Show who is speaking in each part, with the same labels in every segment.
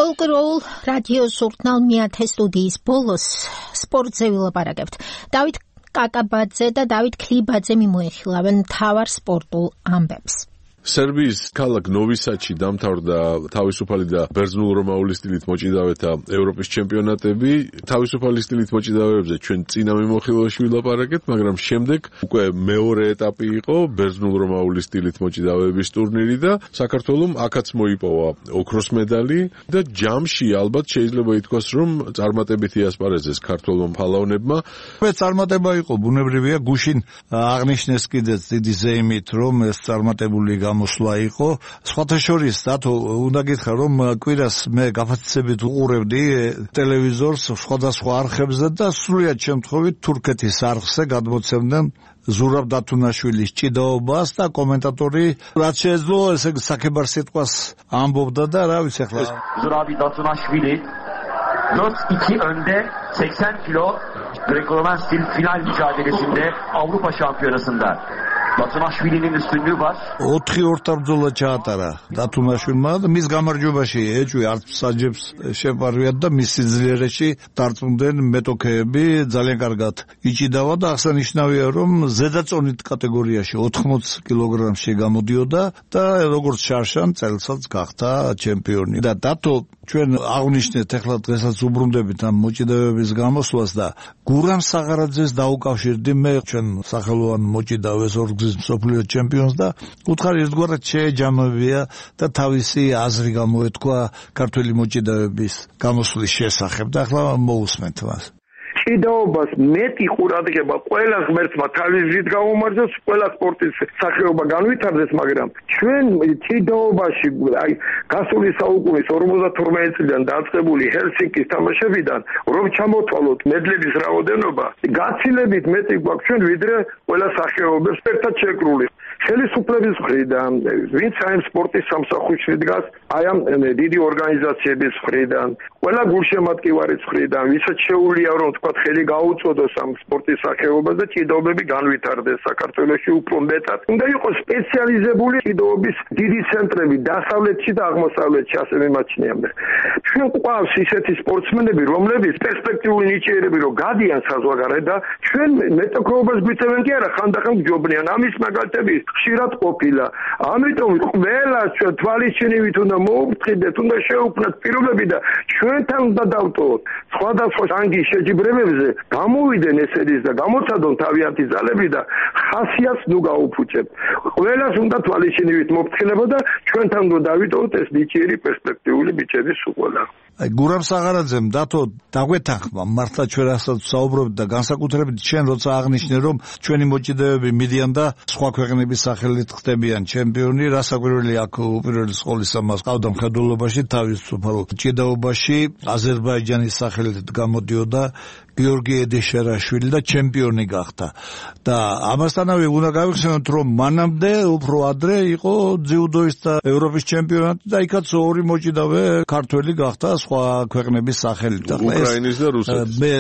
Speaker 1: პოლკროულ რადიო ჟურნალ მეათე სტუდიის ბოლოს სპორტზე ვილაპარაკებთ. დავით კაკაბაძე და დავით ქლიბაძე მიმოეხილავენ მთავარ სპორტულ ამბებს.
Speaker 2: სერბიის ქალაქ ნოვისადში დამთავრდა თავისუფალი და ბერძნულ-რომაული სტილით მოჭიდავეთა ევროპის ჩემპიონატები. თავისუფალი სტილით მოჭიდავეებზე ჩვენ წინა მიმოხილვაში ვილაპარაკეთ, მაგრამ შემდეგ უკვე მეორე ეტაპი იყო ბერძნულ-რომაული სტილით მოჭიდავეების ტურნირი და საქართველომ აქაც მოიპოვა ოქროს медали და ჯამში ალბათ შეიძლება ითქვას, რომ წარმატებით იასპარეზეს ქართველ ფალავნებმა.
Speaker 3: წარმატება იყო, ბუნებრივია, გუშინ აღნიშნეს კიდეც დიდი ზეიმით, რომ ეს წარმატებული გამოსვლა იყო. სხვათა შორის დათო უნდა გითხრა, რომ კვირას მე გაფაცებით უყურებდი ტელევიზორს სხვადასხვა არხებზე და სრულიად შემთხვევით თურქეთის არხზე გადმოცემდნენ ზურაბ დათუნაშვილის ჭიდაობას და კომენტატორი რაც შეეძლო ესე საქებარ სიტყვას ამბობდა და რა ვიცი ახლა
Speaker 4: Zurabi Datunaşvili 4-2 önde 80 kilo Greco-Roman stil final mücadelesinde Avrupa Şampiyonası'nda Datunaşvili'nin üstünlüğü var.
Speaker 3: 4-4 ბრძოლა ჩაატარა დათუნაშვილმა და მის გამარჯვებაში ეჭვი არც საჯებს შეპარვიათ და მის სიძლიერეში დარწმუნდნენ მეტოქეები ძალიან კარგად იჭიდავა და აღსანიშნავია რომ ზედაწონით კატეგორიაში 80 კილოგრამში გამოდიოდა და როგორც შარშან წელსაც გახდა ჩემპიონი და დათო ჩვენ აღნიშნეთ ახლა დღესაც უბრუნდებით ამ მოჭიდავეების გამოსვლას და გურამ საღარაძეს დაუკავშირდი მე ჩვენ სახელოვან მოჭიდავეს ორგზის მსოფლიო ჩემპიონს და უთხარი ერთგვარად შეეჯამებია და თავისი აზრი გამოეთქვა ქართველი მოჭიდავეების გამოსვლის შესახებ და ახლა მოусმენთ მას.
Speaker 5: ჭიდაობას მეტი ყურადღება ყველა ღმერთმა თავის გზით გაუმარჯოს, ყველა სპორტის სახეობა განვითარდეს, მაგრამ ჩვენ ჭიდაობაში აი გასული საუკუნის 52 წლიდან დაწყებული ჰელსინკის თამაშებიდან რომ ჩამოთვალოთ მედლების რაოდენობა, გაცილებით მეტი გვაქვს ჩვენ ვიდრე ყველა სახეობებს ერთად შეკრული. ხელისუფლების მხრიდან, ვინც აი სპორტის სამსახურში დგას, აი ამ დიდი ორგანიზაციების მხრიდან, ყველა გულშემატკივარის მხრიდან, ვისაც შეუძლია რომ თქვა ხელი გაუწოდოს ამ სპორტის სახეობას და ჭიდაობები განვითარდეს საქართველოში უფრო მეტად. უნდა იყოს სპეციალიზებული ჭიდაობის დიდი ცენტრები დასავლეთში და აღმოსავლეთში, ასე მიმაჩნიამდე. ჩვენ გვყავს ისეთი სპორტსმენები, რომლებიც პერსპექტიული ნიჭიერები რომ გადიან საზღვარგარეთ და ჩვენ მეტოქეობას გვიწევენ კი არა, ხანდახან გჯობნიან. ამის მაგალითები ხშირად ყოფილა. ამიტომ ყველა ჩვენ თვალისჩინივით უნდა მოუფრთხილდეთ, უნდა შეუქმნათ პირობები და ჩვენთან უნდა დავტოვოთ. სხვადასხვა რანგის შეჯიბრებებზე გამოვიდნენ ესერის და გამოცადონ თავიანთი ძალები და ხასიათს ნუ გაუფუჭებთ. ყველას უნდა თვალისჩინივით მოფრთხილება და ჩვენთან უნდა დავიტოვოთ ეს ნიჭიერი პერსპექტიული ბიჭების უყოლა.
Speaker 3: აი გურამ საღარაძემ დათო დაგვეთანხმა მართლა ჩვენ რასაც საუბრობთ და განსაკუთრებით ჩვენ როცა აღნიშნე რომ ჩვენი მოჭიდავეები მიდიან და სხვა ქვეყნების სახელით ხდებიან ჩემპიონი, რასაკვირველი აქ უპირველეს ყოვლისა მას ყავდა მხედველობაში თავისუფალ ჭიდაობაში აზერბაიჯანის სახელით გამოდიოდა გიორგი ედეშერაშვილი და ჩემპიონი გახდა. და ამასთანავე უნდა გავიხსენოთ რომ მანამდე უფრო ადრე იყო ძიუდოის და ევროპის ჩემპიონატი და იქაც ორი მოჭიდავე ქართველი გახდა სხვა ქვეყნების სახელით.
Speaker 2: უკრაინის და რუსეთის.
Speaker 3: მე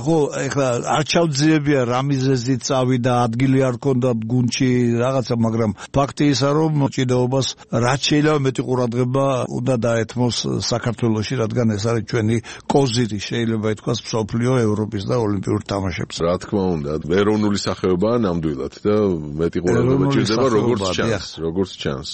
Speaker 3: ხო ეხლა არ ჩავძიებია რა მიზეზით წავიდა, ადგილი არ ჰქონდა გუნდში რაღაცა, მაგრამ ფაქტი ისა რომ მოჭიდაობას რაც შეიძლება მეტი ყურადღება უნდა დაეთმოს საქართველოში, რადგან ეს არის ჩვენი კოზირი შეიძლება ითქვას მსოფლიო ევროპის და ოლიმპიურ თამაშებს.
Speaker 2: რა თქმა უნდა, ეროვნული სახეობაა ნამდვილად და მეტი ყურადღება ჭირდება როგორც ჩანს.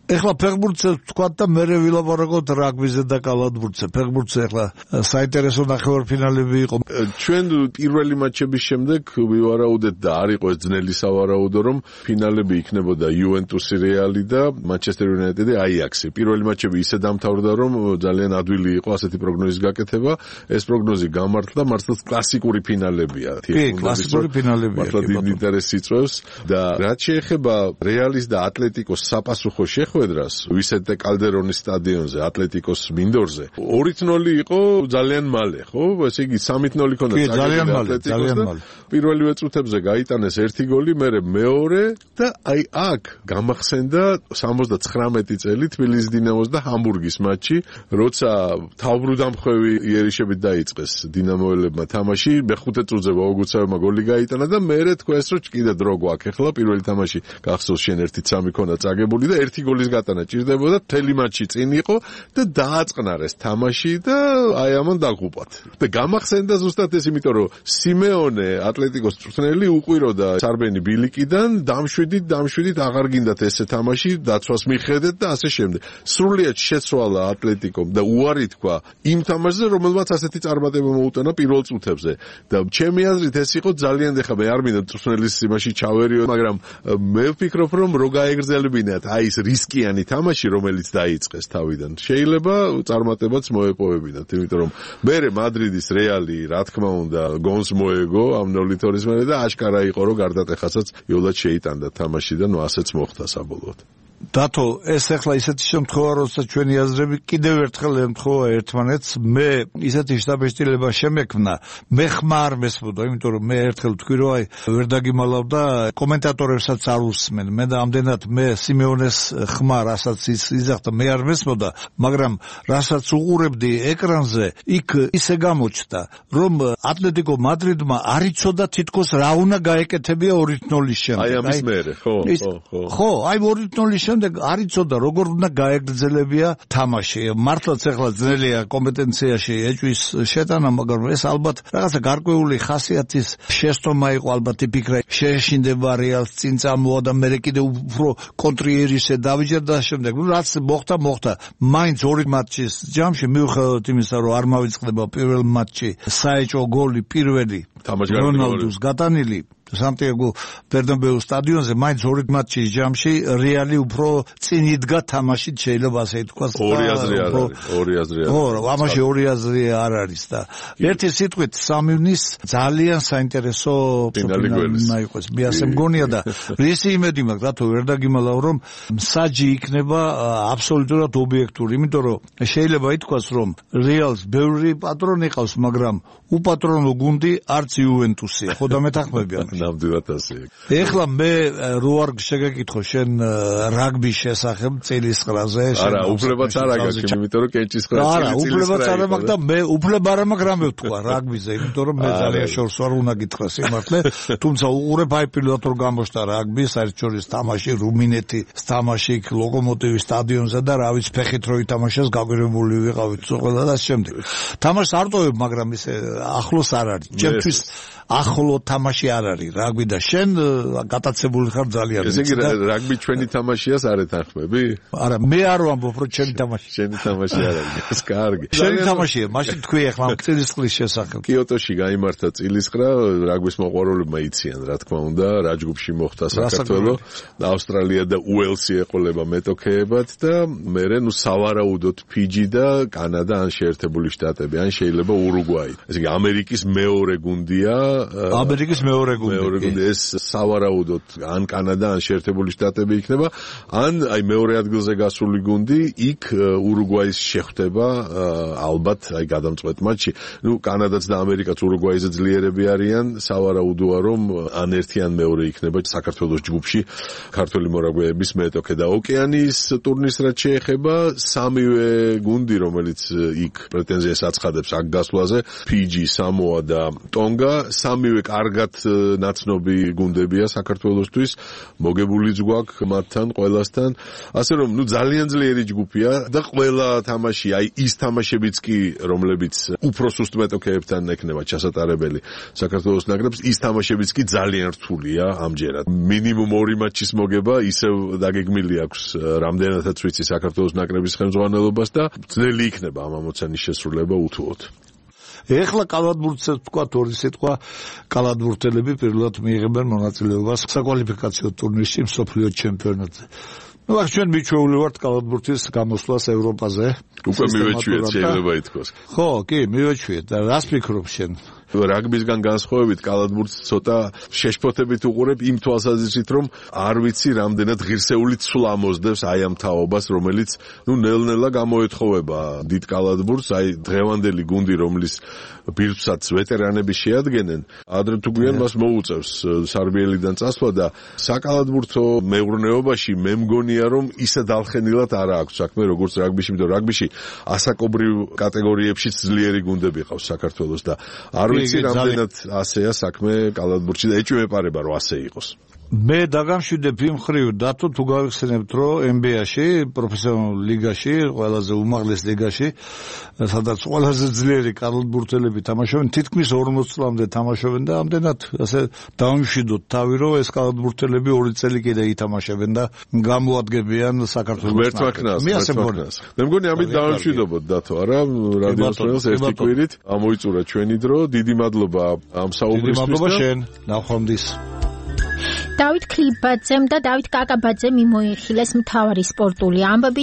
Speaker 3: ეხლა ფეხბურთზე ვთქვათ და მერე ვილაპარაკოთ რაგბიზე და კალათბურთზე. ფეხბურთზე ეხლა საინტერესო ნახევარფინალები იყო.
Speaker 2: ჩვენ პირველი მატჩების შემდეგ ვივარაუდეთ და არ იყო ეს ძნელი სავარაუდო, რომ ფინალები იქნებოდა იუვენტუსი, რეალი და მანჩესტერ იუნაიტედი, აიაქსი. პირველი მატჩები ისე დამთავრდა, რომ ძალიან ადვილი იყო ასეთი პროგნოზის გაკეთება. ეს პროგნოზი გამართლა, მართლაც კლასიკური ფინალებია.
Speaker 3: კი, კლასიკური ფინალებია.
Speaker 2: მართლაც დიდ ინტერესს იწვევს და რაც შეეხება რეალის და ატლეტიკოს საპასუხო ხვედრას ვისენტე კალდერონის სტადიონზე ატლეტიკოს მინდორზე 2-0 იყო ძალიან მალე, ხო? ესე იგი 3-0 ქონდა
Speaker 3: ძალიან მალე.
Speaker 2: პირველივე წუთებზე გაიტანეს ერთი გოლი, მერე მეორე და აი აქ გამახსენდა 79 წელი თბილისის დინამოს და ჰამბურგის მატჩი, როცა თავბრუდამხვევი იერიშებით დაიწყეს დინამოელებმა თამაში, მე-5 წუთზე ვაუგუცავებმა გოლი გაიტანა და მერე თქვეს რომ კიდე დრო გვაქვს. ახლა პირველი თამაში გახსოვს შენ 1-3 ქონდა წაგებული და ერთი გოლის წილის გატანა ჭირდებოდა, მთელი მატჩი წინ იყო და დააწყნარეს თამაში და აი ამან დაგუპათ. და გამახსენდა ზუსტად ეს, იმიტომ რომ სიმეონე ატლეტიკოს წვრთნელი უყვიროდა სარბენი ბილიკიდან, დამშვიდით აღარ გინდათ ესე თამაში, დაცვას მიხედეთ და ასე შემდეგ. სრულიად შეცვალა ატლეტიკომ და უარი თქვა იმ თამაშზე, რომელმაც ასეთი წარმატება მოუტანა პირველ წუთებზე. და ჩემი აზრით ეს იყო ძალიან ეხლა მე არ მინდა წვრთნელის იმაში ჩავერიო, მაგრამ მე ვფიქრობ, რომ რო გაეგრძელებინათ აი ეს რისკიანი თამაში, რომელიც დაიწყეს თავიდან. შეიძლება წარმატებაც მოეპოვებინათ, იმიტომ რომ მე მადრიდის რეალი, რა თქმა უნდა, გონს მოეგო ამ 0-2-ის მერე და აშკარა იყო, რომ გარდატეხასაც იოლად შეიტანდა თამაში და ასეც მოხდა საბოლოოდ.
Speaker 3: დათო, ეს ახლა ისეთი შემთხვევა, როცა ჩვენი აზრები კიდევ ერთხელ ემთხვევა ერთმანეთს, მე ისეთი შთაბეჭდილება შემექმნა, მე ხმა არ მესმოდა, იმიტომ რომ მე ერთხელ ვთქვი, რომ აი ვერ დაგიმალავ და კომენტატორებსაც არ უსმენ. მე და ამდენად მე სიმეონეს ხმა, რასაც იზახდა, მე არ მესმოდა, მაგრამ რასაც უყურებდი ეკრანზე, იქ ისე გამოჩნდა, რომ ატლეტიკო მადრიდმა არ იცოდა თითქოს რა უნდა გაეკეთებია 2-0-ის შემდეგ.
Speaker 2: აი ამის მერე,
Speaker 3: ხო, აი 2-0-ის შემდეგ არ იცოდა როგორ უნდა გაეგრძელებია თამაში. მართლაც ახლა ძნელია კომპეტენციაში ეჭვის შეტანა, მაგრამ ეს ალბათ რაღაცა გარკვეული ხასიათის შეცდომა იყო, ალბათ იფიქრა შეეშინდება რეალს წინ წამოვა და მე კიდევ უფრო კონტრიერისე დავიჯერდა და შემდეგ. რაც მოხდა, მაინც 2 მატჩის ჯამში მიუხედავად იმისა, რომ არ მავიწყდება პირველ მატჩი საეჭვო გოლი პირველი რონალდუს გატანილი სანტიაგო ბერნაბეუ სტადიონზე, მაინც 2 მატჩის ჯამში რეალი უფრო წინ იდგა თამაშით, შეიძლება ასე ითქვას.
Speaker 2: ორი აზრი არ არის.
Speaker 3: ხო, ამაში ორი აზრი არ არის და ერთი სიტყვით სამივნის ძალიან საინტერესო ფინალი იყოს. მე ასე მგონია და რისი იმედი მაქვს, რატო ვერ დაგიმალავ, რომ მსაჯი იქნება აბსოლუტურად ობიექტური, იმიტომ რომ შეიძლება ითქვას, რომ რეალს ბევრი პატრონი ყავს, მაგრამ უპატრონო გუნდი არც იუვენტუსია. ხო და მეთანხმები ამაში.
Speaker 2: ნამდვილად ასე.
Speaker 3: ეხლა მე რო არ შეგეკითხო შენ რაგბის შესახებ წელისყრაზე,
Speaker 2: არა, უფლებაც არ აგაქვს, იმიტომ რომ კენჭისყრა წელისყრა.
Speaker 3: არა, უფლებაც არ მაქვს და მე უფლება არ მაქვს რამე ვთქვა რაგბიზე, იმიტომ რომ მე ძალიან შორს ვარ, უნდა გითხრა სიმართლე, თუმცა უყურებ აი პირველად რომ გამოჩნდა რაგბი, საერთაშორისო თამაში რუმინეთის თამაში ლოკომოტივის სტადიონზე და რა ვიცი ფეხით რო ითამაშეს, გაგვირებული ვიყავით ყველა და შემდეგ. თამაშს არ ტოვებ, მაგრამ ისე ახლოს არ არის. ჩემთვის ახლო თამაში არ არის რაგბი და შენ გატაცებული ხარ ძალიან.
Speaker 2: ესე იგი რაგბი ჩვენი თამაშიას არ ეთანხმები?
Speaker 3: არა, მე არ ვამბობ რომ ჩემი თამაში.
Speaker 2: შენი თამაში არ არის. კარგი.
Speaker 3: შენი თამაშია, მაშინ თქვი ახლა წილისყრის შესახებ.
Speaker 2: კიოტოში გაიმართა წილისყრა, რაგბის მოყვარულებმა იციან, რა თქმა უნდა, რა ჯგუფში მოხდა საქართველო, ავსტრალია და უელსი ეყოლება მეტოქეებად და მერე სავარაუდოდ ფიჯი და კანადა ან შეერთებული შტატები, ან შეიძლება ურუგვაი. ესე იგი ამერიკის მეორე გუნდია.
Speaker 3: ამერიკის მეორე გუნდი.
Speaker 2: ეს სავარაუდოდ ან კანადა, ან შეერთებული შტატები იქნება, ან აი მეორე ადგილზე გასული გუნდი იქ ურუგვაის შეხვდება ალბათ აი გადამწყვეტ მატჩში. კანადაც და ამერიკაც ურუგვაიზე ძლიერები არიან, სავარაუდოა რომ ან ერთი ან მეორე იქნება საქართველოს ჯგუფში ქართველი მორაგბეების მეტოქე და ოკეანიის ტურნირს რაც შეეხება, სამივე გუნდი, რომელიც იქ პრეტენზიას აცხადებს აქ გასვლაზე, ფიჯი, სამოა და ტონგა, სამივე კარგად ნაცნობი გუნდებია საქართველოსთვის, მოგებულიც გვაქვს მათთან ყველასთან, ასე რომ ძალიან ძლიერი ჯგუფია და ყველა თამაში, აი ის თამაშებიც კი, რომლებიც უფრო სუსტ მეტოქეებთან ექნება ჩასატარებელი საქართველოს ნაკრებს, ის თამაშებიც კი ძალიან რთულია ამჯერად. მინიმუმ 2 მატჩის მოგება ისევ დაგეგმილი აქვს, რამდენადაც ვიცი საქართველოს ნაკრების ხელმძღვანელობას და ძნელი იქნება ამ ამოცანის შესრულება უთუოდ.
Speaker 3: ეხლა კალათბურთზე თქვა ორი სიტყვა, კალათბურთელები პირველად მიიღებენ მონაწილეობას საკვალიფიკაციო ტურნირში მსოფლიო ჩემპიონატზე. აქ ჩვენ მიჩვეული ვართ კალათბურთის გამოსვლას ევროპაზე.
Speaker 2: უკვე მივეჩვიეთ, შეიძლება ითქვას.
Speaker 3: ხო, კი, მივეჩვიეთ და რას ფიქრობ შენ?
Speaker 2: რაგბისგან განსხვავებით კალათბურთს ცოტა შეშფოთებით უყურებ იმ თვალსაზრისით, რომ არ ვიცი რამდენად ღირსეული ცვლა მოსდევს აი ამ თაობას, რომელიც ნელ-ნელა გამოეთხოვება დიდ კალათბურთს, აი დღევანდელი გუნდი, რომლის ბირთვსაც ვეტერანები შეადგენენ, ადრე თუ გვიან მას მოუწევს სარბიელიდან წასვლა და საკალათბურთო მეურნეობაში მე მგონია, რომ ისე დალხენილად არ აქვს საქმე, როგორც რაგბიში, იმიტომ რაგბიში ასაკობრივ კატეგორიებშიც ძლიერი გუნდები ყავს საქართველოს და არ ვიცი რამდენად ასეა საქმე კალათბურთში და ეჭვმეპარება რომ ასე იყოს.
Speaker 3: მე დაგამშვიდებ იმ ხრივ დათო თუ გავიხსენებთ რომ NBA-ში პროფესიონალურ ლიგაში ყველაზე უმაღლეს ლიგაში სადაც ყველაზე ძლიერი კარლსბურთელები თამაშობენ თითქმის 40 წლამდე თამაშობენ და ამდენად ასე დავიმშვიდოთ თავი რომ ეს კარლსბურთელები 2 წელი კიდე ითამაშებენ და გამოადგენენ საქართველოს
Speaker 2: მერტვაკნას მე მგონი ამით დავიმშვიდობოთ დათო არა რადიოს ფრენს ერთი კვირით ამოიწურა ჩვენი დრო დიდი მადლობა ამ საუბრისთვის
Speaker 3: მადლობა შენ ნახვამდის
Speaker 1: დავით ქლიბაძემ და დავით კაკაბაძემ მიმოიხილეს მთავარი სპორტული ამბები